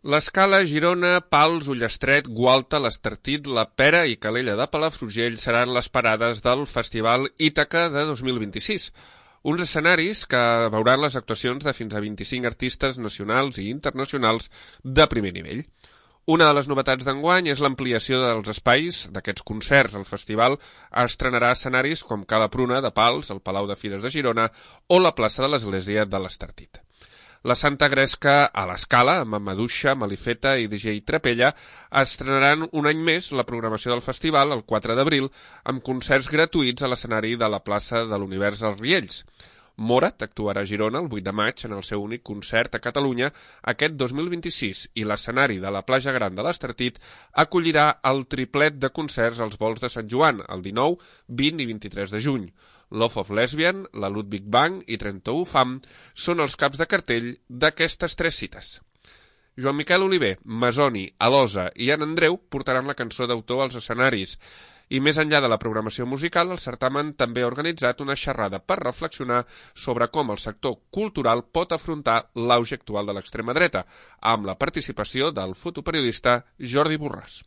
L'Escala, Girona, Pals, Ullastret, Gualta, l'Estartit, la Pera i Calella de Palafrugell seran les parades del Festival Ítaca de 2026. Uns escenaris que veuran les actuacions de fins a 25 artistes nacionals i internacionals de primer nivell. Una de les novetats d'enguany és l'ampliació dels espais d'aquests concerts. El festival estrenarà escenaris com Cala Pruna de Pals, el Palau de Fires de Girona o la plaça de l'Església de l'Estartit. La Santa Gresca a l'Escala, amb Maduixa, Malifeta i DJ Trapella, estrenaran un any més la programació del festival, el 4 d'abril, amb concerts gratuïts a l'escenari de la plaça de l'Univers als Riells. Morat actuarà a Girona el 8 de maig en el seu únic concert a Catalunya aquest 2026 i l'escenari de la Plaja Gran de l'Estartit acollirà el triplet de concerts als Volts de Sant Joan el 19, 20 i 23 de juny. Love of Lesbian, la Ludwig Bang i 31 Fam són els caps de cartell d'aquestes 3 cites. Joan Miquel Oliver, Masoni, Alosa i Anna Andreu portaran la cançó d'autor als escenaris. I més enllà de la programació musical, el certamen també ha organitzat una xerrada per reflexionar sobre com el sector cultural pot afrontar l'auge actual de l'extrema dreta, amb la participació del fotoperiodista Jordi Borràs.